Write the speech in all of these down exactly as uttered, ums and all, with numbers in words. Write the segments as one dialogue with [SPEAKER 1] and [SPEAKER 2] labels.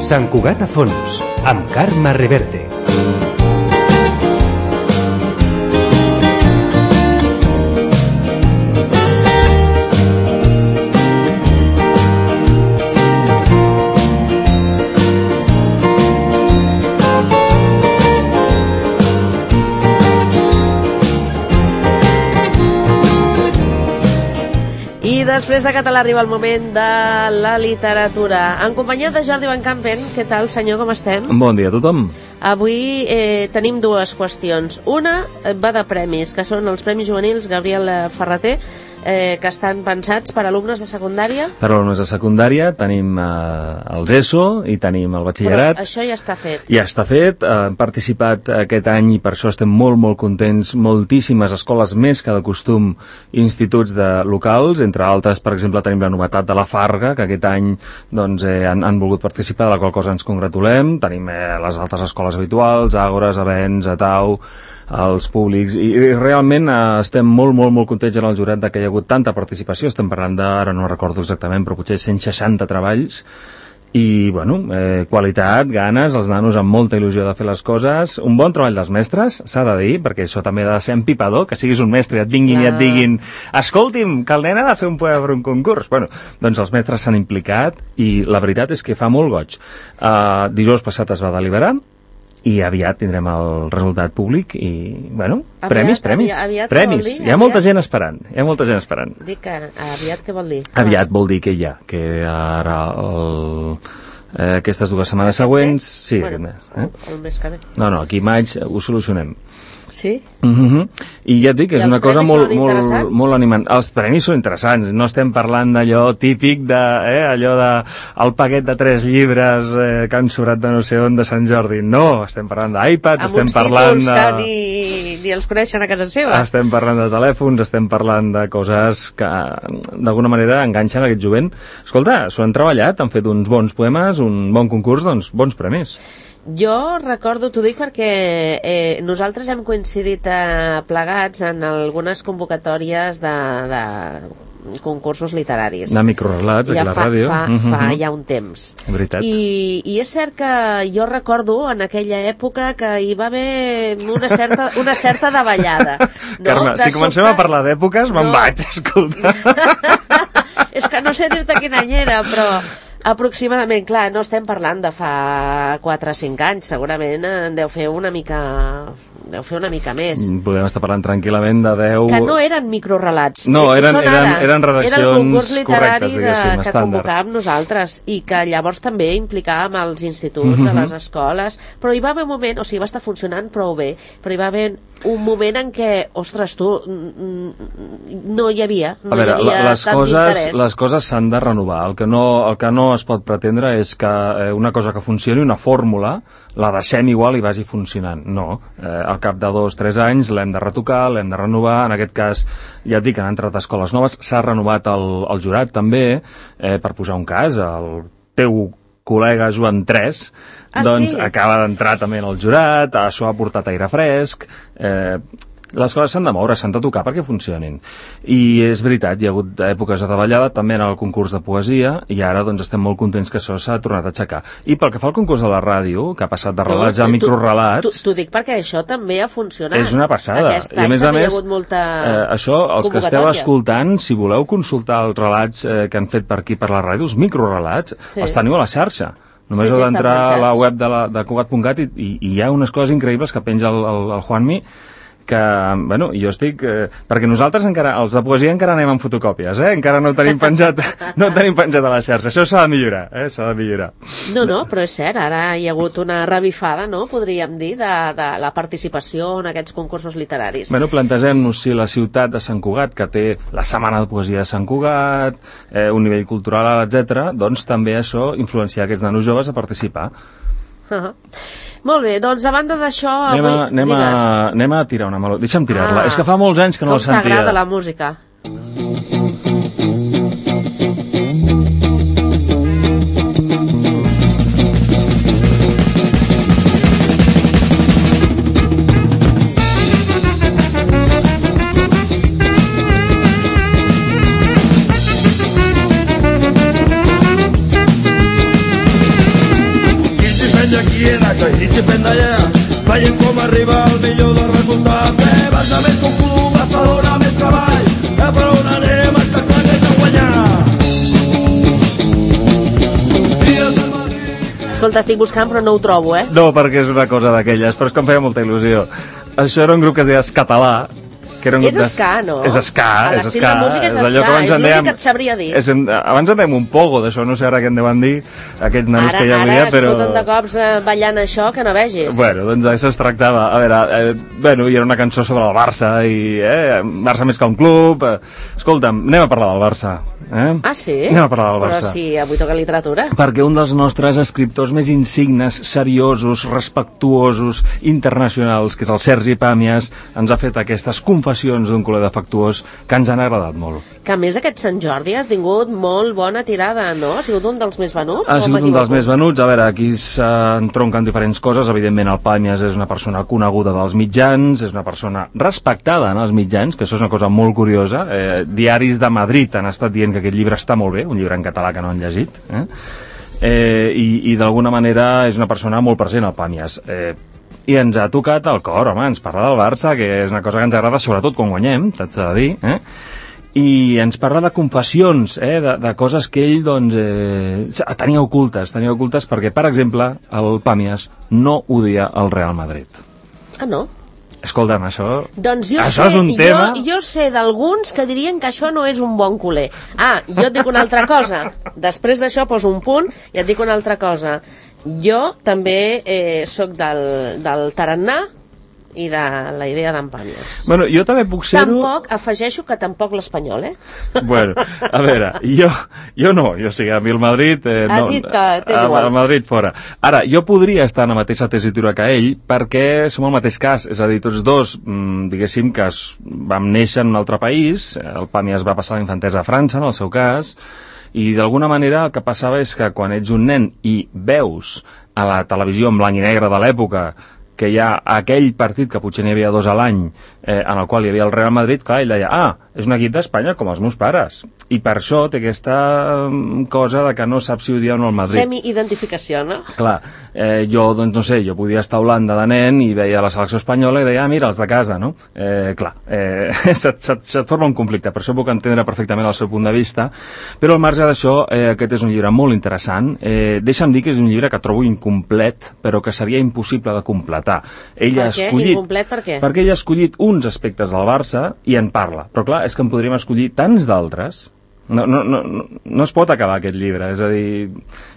[SPEAKER 1] Sant Cugat a fons, amb Carme Reverte.
[SPEAKER 2] Després de català arriba el moment de la literatura. En companyia de Jordi Van Campen. Què tal, senyor, com estem?
[SPEAKER 3] Bon dia a tothom.
[SPEAKER 2] Avui eh, tenim dues qüestions. Una va de premis, que són els Premis Juvenils Gabriel Ferrater, eh, que estan pensats per alumnes de secundària.
[SPEAKER 3] Per alumnes de secundària tenim eh, els ESO i tenim el batxillerat.
[SPEAKER 2] Però això ja està fet.
[SPEAKER 3] Ja està fet. Eh, hem participat aquest any i per això estem molt, molt contents. Moltíssimes escoles més que de costum, instituts de locals, entre altres, per exemple, tenim la novetat de la Farga, que aquest any doncs, eh, han, han volgut participar, de la qual cosa ens congratulem. Tenim eh, les altres escoles habituals, Àgores, Avenç, Atau, els públics, i, i realment eh, estem molt, molt, molt contents en el jurat de que hi ha hagut tanta participació. Estem parlant de, ara no recordo exactament, però potser cent seixanta treballs, i, bueno, eh, qualitat, ganes, els nanos amb molta il·lusió de fer les coses, un bon treball dels mestres, s'ha de dir, perquè això també ha de ser empipador, que siguis un mestre i et vinguin ah. i et diguin, escolti'm, que el nen ha de fer un poema per un concurs. Bueno, doncs els mestres s'han implicat i la veritat és que fa molt goig. Uh, dijous passat es va deliberar, i aviat tindrem el resultat públic i, bueno, aviat, premis, premis.
[SPEAKER 2] Aviat, aviat
[SPEAKER 3] premis.
[SPEAKER 2] Dir,
[SPEAKER 3] hi ha molta gent esperant. Hi ha molta gent esperant.
[SPEAKER 2] Dic que aviat què vol dir?
[SPEAKER 3] Aviat vol dir que hi ha, que ara el, eh, aquestes dues setmanes següents... Sí,
[SPEAKER 2] bueno,
[SPEAKER 3] mes, eh?
[SPEAKER 2] el mes que ve.
[SPEAKER 3] No, no, aquí maig ho solucionem.
[SPEAKER 2] Sí?
[SPEAKER 3] Uh-huh. I ja et dic que és una cosa molt, molt, molt animant. Els premis són interessants, no estem parlant d'allò típic de, eh, allò de el paquet de tres llibres eh, que han sobrat de no sé on de Sant Jordi. No, estem parlant d'iPads, estem parlant de...
[SPEAKER 2] Amb uns títols que ni, ni els coneixen a casa seva.
[SPEAKER 3] Estem parlant de telèfons, estem parlant de coses que d'alguna manera enganxen aquest jovent. Escolta, s'ho han treballat, han fet uns bons poemes, un bon concurs, doncs bons premis.
[SPEAKER 2] Jo recordo, t'ho dic perquè eh, nosaltres hem coincidit eh, plegats en algunes convocatòries de, de concursos literaris.
[SPEAKER 3] De microrelats, aquí a la
[SPEAKER 2] fa,
[SPEAKER 3] ràdio.
[SPEAKER 2] Fa,
[SPEAKER 3] uh-huh.
[SPEAKER 2] fa ja un temps.
[SPEAKER 3] Veritat.
[SPEAKER 2] I, I és cert que jo recordo en aquella època que hi va haver una certa, una certa davallada. No?
[SPEAKER 3] Carme,
[SPEAKER 2] de
[SPEAKER 3] si comencem
[SPEAKER 2] sobte...
[SPEAKER 3] a parlar d'èpoques, me'n
[SPEAKER 2] no.
[SPEAKER 3] vaig, escolta.
[SPEAKER 2] És que no sé dir-te quin any era, però... Aproximadament, clar, no estem parlant de fa quatre o cinc anys, segurament en deu fer una mica... deu fer una mica més.
[SPEAKER 3] Podem estar parlant tranquil·lament de deu...
[SPEAKER 2] Que no eren microrelats.
[SPEAKER 3] No, eren, eren, eren redaccions
[SPEAKER 2] era el concurs literari
[SPEAKER 3] correctes, diguéssim,
[SPEAKER 2] de, que
[SPEAKER 3] estàndard.
[SPEAKER 2] convocàvem nosaltres i que llavors també implicàvem els instituts, mm-hmm. a les escoles, però hi va haver un moment, o sigui, va estar funcionant prou bé, però hi va haver un moment en què, ostres, tu, no hi havia, no
[SPEAKER 3] a veure,
[SPEAKER 2] hi havia
[SPEAKER 3] les
[SPEAKER 2] tant
[SPEAKER 3] coses,
[SPEAKER 2] d'interès.
[SPEAKER 3] les coses s'han de renovar. El que, no, el que no es pot pretendre és que una cosa que funcioni, una fórmula, la deixem igual i vagi funcionant. No. Eh, al cap de dos, tres anys l'hem de retocar, l'hem de renovar. En aquest cas, ja et dic, han entrat escoles noves, s'ha renovat el, el jurat també, eh, per posar un cas, el teu col·lega Joan tres,
[SPEAKER 2] ah,
[SPEAKER 3] doncs
[SPEAKER 2] sí?
[SPEAKER 3] acaba d'entrar també en el jurat, això ha portat aire fresc, eh, les coses s'han de moure, s'han de tocar perquè funcionin. I és veritat, hi ha hagut èpoques de davallada, també en el concurs de poesia, i ara doncs estem molt contents que això s'ha tornat a aixecar. I pel que fa al concurs de la ràdio, que ha passat de relats no, a microrelats...
[SPEAKER 2] T'ho dic perquè això també ha funcionat.
[SPEAKER 3] És una passada.
[SPEAKER 2] Aquest
[SPEAKER 3] I a més a més,
[SPEAKER 2] molta
[SPEAKER 3] eh, això, els que esteu escoltant, si voleu consultar els relats eh, que han fet per aquí per la ràdio, els microrelats, sí. els teniu a la xarxa. Només
[SPEAKER 2] sí,
[SPEAKER 3] heu
[SPEAKER 2] sí,
[SPEAKER 3] d'entrar a la web de, la, de Cugat punt cat i, i, i hi ha unes coses increïbles que penja el, el, el Juanmi, que, bueno, jo estic... Eh, perquè nosaltres encara, els de poesia encara anem amb fotocòpies, eh? Encara no tenim penjat, no tenim penjat a la xarxa. Això s'ha de millorar, eh? S'ha de millorar.
[SPEAKER 2] No, no, però és cert, ara hi ha hagut una revifada, no?, podríem dir, de, de la participació en aquests concursos literaris.
[SPEAKER 3] Bueno, plantegem-nos si la ciutat de Sant Cugat, que té la Setmana de Poesia de Sant Cugat, eh, un nivell cultural, etcètera, doncs també això influenciar aquests nanos joves a participar.
[SPEAKER 2] Uh-huh. Molt bé, doncs a banda d'això
[SPEAKER 3] anem,
[SPEAKER 2] avui...
[SPEAKER 3] a, anem, a, anem a tirar una meló. Deixa'm tirar-la,
[SPEAKER 2] ah,
[SPEAKER 3] és que fa molts anys que no la sentia.
[SPEAKER 2] Com t'agrada la música.
[SPEAKER 4] i si fem d'allà, veiem com arriba el millor dels resultats. Eh, Barça més que un club, Barcelona més cavall, eh, per on anem, està clar que hem de guanyar.
[SPEAKER 2] Escolta, estic buscant però no ho trobo, eh?
[SPEAKER 3] No, perquè és una cosa d'aquelles, però és que em feia molta il·lusió. Això era un grup que es deia Escatalà, que era un
[SPEAKER 2] És
[SPEAKER 3] grup
[SPEAKER 2] ska, no?
[SPEAKER 3] És ska,
[SPEAKER 2] A
[SPEAKER 3] és
[SPEAKER 2] l'estil
[SPEAKER 3] ska.
[SPEAKER 2] de música és
[SPEAKER 3] allò
[SPEAKER 2] ska,
[SPEAKER 3] que abans
[SPEAKER 2] és
[SPEAKER 3] en
[SPEAKER 2] l'únic
[SPEAKER 3] dèiem-
[SPEAKER 2] que et sabria dir.
[SPEAKER 3] És, en- abans en dèiem un pogo d'això, no sé ara què en deuen dir, aquests nanos
[SPEAKER 2] Ara,
[SPEAKER 3] que hi
[SPEAKER 2] ara
[SPEAKER 3] havia,
[SPEAKER 2] es
[SPEAKER 3] però...
[SPEAKER 2] foten de cops eh, ballant això que no vegis.
[SPEAKER 3] Bueno, doncs d'això es tractava. A veure, eh, bueno, hi era una cançó sobre el Barça, i eh, Barça més que un club... Eh. Escolta'm, anem a parlar del Barça. Eh?
[SPEAKER 2] Ah, sí?
[SPEAKER 3] Anem a parlar del Barça.
[SPEAKER 2] Però sí, avui toca literatura.
[SPEAKER 3] Perquè un dels nostres escriptors més insignes, seriosos, respectuosos, internacionals, que és el Sergi Pàmies, ens ha fet aquestes confessions d'un culer defectuós que ens han agradat molt.
[SPEAKER 2] Que a més aquest Sant Jordi ha tingut molt bona tirada, no? Ha sigut un dels més venuts?
[SPEAKER 3] Ha
[SPEAKER 2] o
[SPEAKER 3] sigut un
[SPEAKER 2] m'equivoco?
[SPEAKER 3] dels més venuts. A veure, aquí s'entronquen diferents coses. Evidentment, el Pàmies és una persona coneguda dels mitjans, és una persona respectada en els mitjans, que això és una cosa molt curiosa. Eh, diaris de Madrid han estat dient que aquest llibre està molt bé, un llibre en català que no han llegit, eh? Eh, i, i d'alguna manera és una persona molt present al Pàmies. Eh, I ens ha tocat el cor, home, ens parla del Barça, que és una cosa que ens agrada sobretot quan guanyem, t'haig de dir, eh? I ens parla de confessions, eh? de, de coses que ell doncs, eh, tenia ocultes, tenia ocultes perquè, per exemple, el Pàmies no odia el Real Madrid.
[SPEAKER 2] Ah, no?
[SPEAKER 3] Escolta'm, això...
[SPEAKER 2] Doncs jo
[SPEAKER 3] això
[SPEAKER 2] sé,
[SPEAKER 3] és un tema...
[SPEAKER 2] jo, jo sé d'alguns que dirien que això no és un bon culer. Ah, jo et dic una altra cosa. Després d'això poso un punt i et dic una altra cosa. Jo també eh, sóc del, del tarannà i de la idea d'en Pàmies.
[SPEAKER 3] Bueno, jo també puc ser-ho...
[SPEAKER 2] Tampoc, afegeixo que tampoc l'Espanyol, eh?
[SPEAKER 3] Bueno, a veure, jo, jo no, jo sí, a mi el Madrid... Eh,
[SPEAKER 2] A
[SPEAKER 3] no,
[SPEAKER 2] ti t'és igual.
[SPEAKER 3] El Madrid fora. Ara, jo podria estar en la mateixa tessitura que ell perquè som el mateix cas, és a dir, tots dos, mmm, diguéssim que es, vam néixer en un altre país, el Pàmies va passar la infantesa a França, en el seu cas, i d'alguna manera el que passava és que quan ets un nen i veus a la televisió en blanc i negre de l'època que hi ha aquell partit que potser n'hi havia dos a l'any eh, en el qual hi havia el Real Madrid, clar, ell deia, ah, és un equip d'Espanya com els meus pares. I per això té aquesta cosa de que no sap si odia o no el Madrid.
[SPEAKER 2] Semi-identificació, no?
[SPEAKER 3] Clar, eh, jo, doncs no sé, jo podia estar a Holanda de nen i veia la selecció espanyola i deia, ah, mira, els de casa, no? Eh, clar, eh, se't, se't, se't forma un conflicte, per això puc entendre perfectament el seu punt de vista, però al marge d'això, eh, aquest és un llibre molt interessant. Eh, deixa'm dir que és un llibre que trobo incomplet, però que seria impossible de completar. Ell
[SPEAKER 2] Per
[SPEAKER 3] ha
[SPEAKER 2] què?
[SPEAKER 3] escollit,
[SPEAKER 2] Incomplet per què?
[SPEAKER 3] Perquè ell ha escollit uns aspectes del Barça i en parla, però clar, és que en podríem escollir tants d'altres. No, no, no, no, no es pot acabar aquest llibre, és a dir,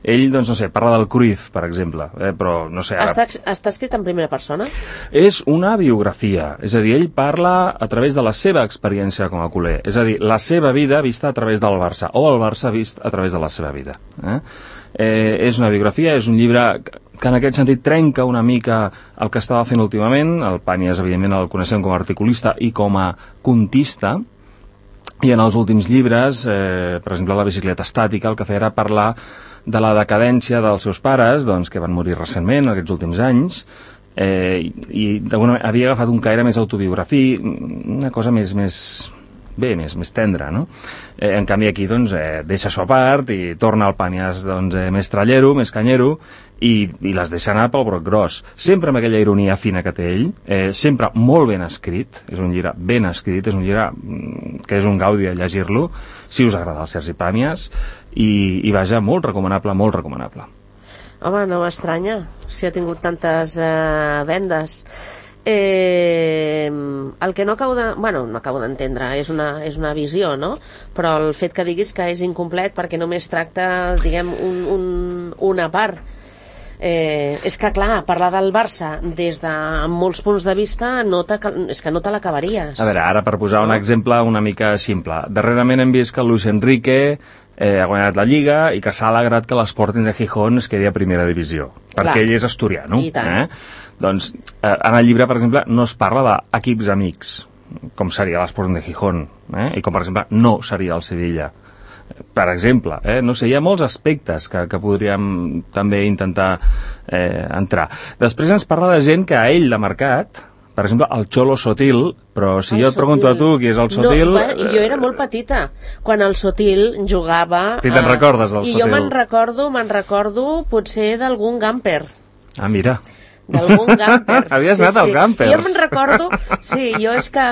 [SPEAKER 3] ell, doncs, no sé, parla del Cruyff, per exemple, eh, però, no sé... Ara...
[SPEAKER 2] Està, està escrit en primera persona?
[SPEAKER 3] És una biografia, és a dir, ell parla a través de la seva experiència com a culer, és a dir, la seva vida vista a través del Barça, o el Barça vist a través de la seva vida. Eh? Eh, és una biografia, és un llibre que en aquest sentit trenca una mica el que estava fent últimament. El Pàmies, evidentment, el coneixem com a articulista i com a contista, i en els últims llibres, eh, per exemple, la bicicleta estàtica, el que feia era parlar de la decadència dels seus pares, doncs, que van morir recentment, aquests últims anys, eh, i, i d'alguna manera havia agafat un caire més autobiografí, una cosa més... més bé, més, més tendre, no? Eh, en canvi aquí, doncs, eh, deixa això a part i torna al Pàmies, doncs, eh, més trallero, més canyero, i, i les deixa anar pel broc gros. Sempre amb aquella ironia fina que té ell, eh, sempre molt ben escrit, és un llibre ben escrit, és un llibre que és un gaudi a llegir-lo, si us agrada el Sergi Pàmies, i, i vaja, molt recomanable, molt recomanable.
[SPEAKER 2] Home, no m'estranya, si ha tingut tantes eh, vendes. Eh, el que no acabo de... Bueno, no acabo d'entendre, és una, és una visió, no? Però el fet que diguis que és incomplet perquè només tracta, diguem, un, un, una part. Eh, és que, clar, parlar del Barça des de molts punts de vista no és que no te l'acabaries.
[SPEAKER 3] A veure, ara per posar un exemple una mica simple. Darrerament hem vist que el Luis Enrique eh, ha guanyat la Lliga i que s'ha alegrat que l'Sporting de Gijón es quedi a primera divisió. Perquè
[SPEAKER 2] Clar.
[SPEAKER 3] ell és asturiano.
[SPEAKER 2] I tant.
[SPEAKER 3] Eh? Doncs eh, en el llibre, per exemple, no es parla d'equips amics, com seria l'Sporting de Gijón, eh? I com, per exemple, no seria el Sevilla. Per exemple, eh? no sé, hi ha molts aspectes que, que podríem també intentar eh, entrar. Després ens parla de gent que a ell l'ha marcat, per exemple, el Cholo Sotil, però si
[SPEAKER 2] el
[SPEAKER 3] jo et pregunto
[SPEAKER 2] Sotil.
[SPEAKER 3] a tu qui és el Sotil...
[SPEAKER 2] No, bueno, jo era molt petita quan el Sotil jugava...
[SPEAKER 3] I te'n recordes del
[SPEAKER 2] I
[SPEAKER 3] Sotil?
[SPEAKER 2] jo me'n recordo, me'n recordo potser d'algun Gamper.
[SPEAKER 3] Ah, mira.
[SPEAKER 2] d'algun gamper.
[SPEAKER 3] Havies anat al Gampers.
[SPEAKER 2] Jo me'n recordo, sí, jo és que...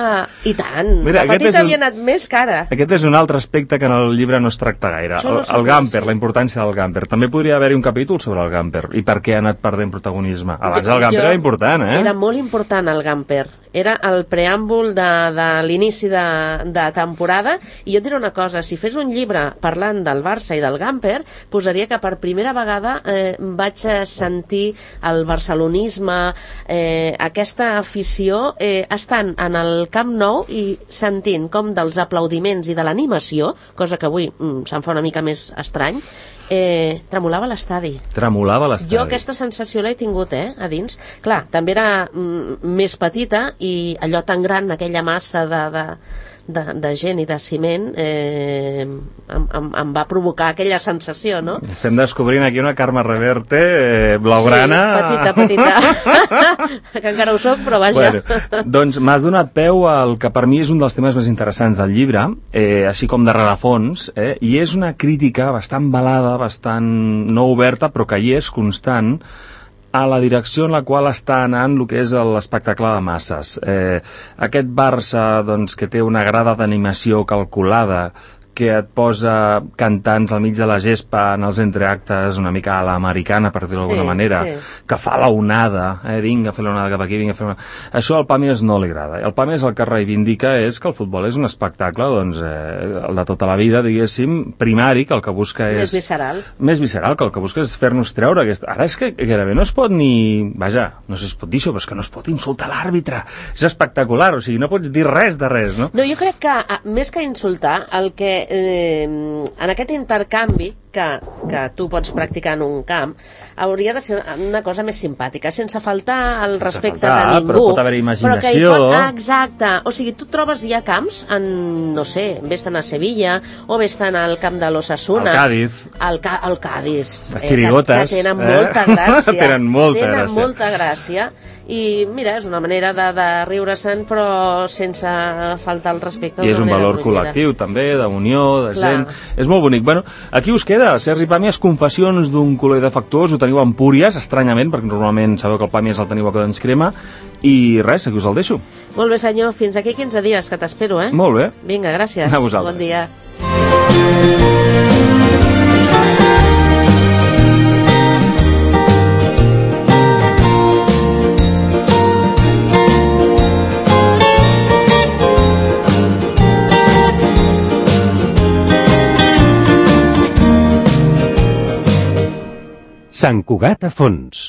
[SPEAKER 2] I tant,
[SPEAKER 3] Mira,
[SPEAKER 2] de petita
[SPEAKER 3] un...
[SPEAKER 2] havia anat més cara.
[SPEAKER 3] Aquest és un altre aspecte que en el llibre no es tracta gaire.
[SPEAKER 2] No
[SPEAKER 3] el, el gamper, sí. La importància del gamper. També podria haver-hi un capítol sobre el gamper i per què ha anat perdent protagonisme. Abans jo, el gamper jo... era important, eh?
[SPEAKER 2] Era molt important el gamper. Era el preàmbul de, de l'inici de, de temporada, i jo et diré una cosa, si fes un llibre parlant del Barça i del gamper, posaria que per primera vegada eh, vaig sentir el barcelonisme, eh, aquesta afició, eh, estant en el Camp Nou i sentint com dels aplaudiments i de l'animació, cosa que avui mm, se'm fa una mica més estrany, Eh, tremolava l'estadi.
[SPEAKER 3] Tremolava l'estadi.
[SPEAKER 2] Jo aquesta sensació l'he tingut, eh, a dins. Clar, també era mm, més petita i allò tan gran, aquella massa de, de, de, de gent i de ciment, eh, em, em, em va provocar aquella sensació, no?
[SPEAKER 3] Estem descobrint aquí una Carme Reverte eh, blaugrana.
[SPEAKER 2] Sí, petita, petita. Que encara ho soc, però vaja.
[SPEAKER 3] Bueno, doncs m'has donat peu al que per mi és un dels temes més interessants del llibre, eh, així com de rerefons, eh, i és una crítica bastant balada, bastant no oberta, però que hi és constant, a la direcció en la qual està anant el que és l'espectacle de masses. Eh, aquest Barça, doncs, que té una grada d'animació calculada, que et posa cantants al mig de la gespa en els entreactes una mica a l'americana, per dir-ho d'alguna
[SPEAKER 2] sí,
[SPEAKER 3] manera,
[SPEAKER 2] sí.
[SPEAKER 3] Que fa la onada, eh? Vinga a fer l'onada cap aquí, vinga a fer l'onada. Això al Pàmies no li agrada. El Pàmies el que reivindica és que el futbol és un espectacle, doncs, eh, el de tota la vida, diguéssim, primari, que el que busca és...
[SPEAKER 2] Més visceral.
[SPEAKER 3] Més visceral, que el que busca és fer-nos treure aquesta... Ara és que gairebé no es pot ni... Vaja, no sé si es pot dir això, però és que no es pot insultar l'àrbitre. És espectacular, o sigui, no pots dir res de res, no?
[SPEAKER 2] No, jo crec que, més que insultar, el que eh, en aquest intercanvi que, que tu pots practicar en un camp hauria de ser una cosa més simpàtica, sense faltar el respecte
[SPEAKER 3] faltar,
[SPEAKER 2] de ningú,
[SPEAKER 3] però pot haver imaginació,
[SPEAKER 2] però que hi pot, ah, exacte, o sigui, tu trobes ja camps en, no sé, vés-te'n a Sevilla o vés-te'n al camp de l'Osasuna,
[SPEAKER 3] al Cádiz,
[SPEAKER 2] al, Ca al Cádiz,
[SPEAKER 3] les xirigotes,
[SPEAKER 2] eh, que, que tenen
[SPEAKER 3] eh?
[SPEAKER 2] molta gràcia,
[SPEAKER 3] tenen molta
[SPEAKER 2] tenen
[SPEAKER 3] gràcia.
[SPEAKER 2] molta gràcia, i mira, és una manera de, de riure-se'n però sense faltar el respecte.
[SPEAKER 3] I és un valor
[SPEAKER 2] grollera.
[SPEAKER 3] col·lectiu també, de unió, de
[SPEAKER 2] Clar.
[SPEAKER 3] gent, és molt bonic. Bueno, aquí us queda Sergi Pàmies, Confessions d'un culer defectuós, ho teniu a Empúries, estranyament, perquè normalment sabeu que el Pàmies el teniu a Cadens Crema, i res, aquí us el deixo.
[SPEAKER 2] Molt bé, senyor, fins aquí quinze dies, que t'espero, eh?
[SPEAKER 3] Molt bé.
[SPEAKER 2] Vinga, gràcies.
[SPEAKER 3] A vosaltres.
[SPEAKER 2] Bon dia.
[SPEAKER 1] Sant Cugat a fons.